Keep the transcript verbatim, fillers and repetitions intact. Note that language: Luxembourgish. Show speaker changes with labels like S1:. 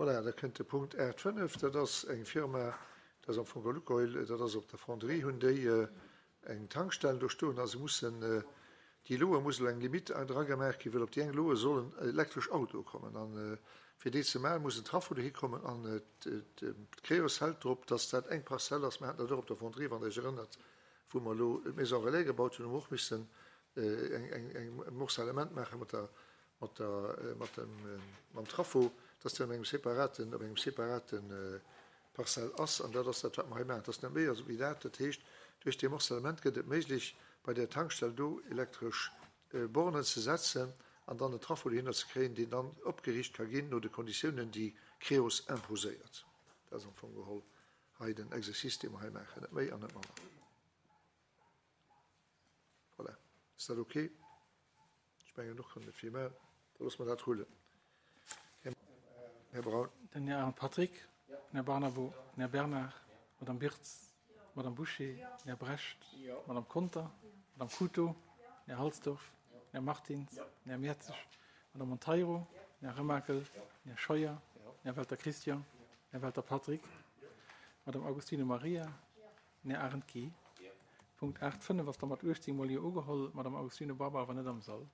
S1: Voilà, da kënnt de Punkt aacht fënnef, dat ass eng Firma, dat ass am Fong geholl Lukoil, dat ass op der Fonderie, hunn déi eng Tankstell do stoen a se mussen, déi Loe muss elo eng Limite dra gemaach ginn, well op déi eng Loe sollen elektresch Autoe kommen. A fir déi ze maachen, muss en Traffo dohi kommen an d'Creos hält drop, dass dat eng Parzell ass. Mir haten dat och op der Fonderie, wann Der Iech erënnert, wou mer elo d'Maison relais gebaut hunn, hu mer och missen eng Morcellement maache mat der mat der, mat dem, mam Traffo, dass deen op engem separaten, op engem separate Parzell ass. An dat ass dat, wat mer hei maachen. Et ass net méi wéi dat. Dat heescht, duerch dee Morcellement gëtt et méiglech, bei där Tankstell do elektresch Bornen ze setzen an dann en Traffo dohinner ze kréien, deen dann opgeriicht ka ginn no de Konditiounen, déi Creos imposéiert. Dat ass am Fong geholl hei den Exercice, dee mer hei maachen, net méi an net manner. Voilà. Ass dat okay? Ech mengen, och kann net vill maachen. Da loosse mer dat rullen. Här Braun.
S2: Den Här Arendt Patrick, den Här Barnabo, den Här Bernard, d'Madame Birtz, d'Madame Bouché, den Här Brecht, d'Madame Conter, d'Madame Couto, den Här Halsdorf, den Här Martins, den Här Mertzig, d'Madame Monteiro, den Här Remakel, den Här Scheuer, den Här Welter Christian, den Här Welter Patrick, d'Madame Augustino Maria, den Här Arendt Guy. Punkt aacht fënnef ass da mat uechtzéng mol Jo ugeholl, d'Madame Augustino Barbara war net am Sall.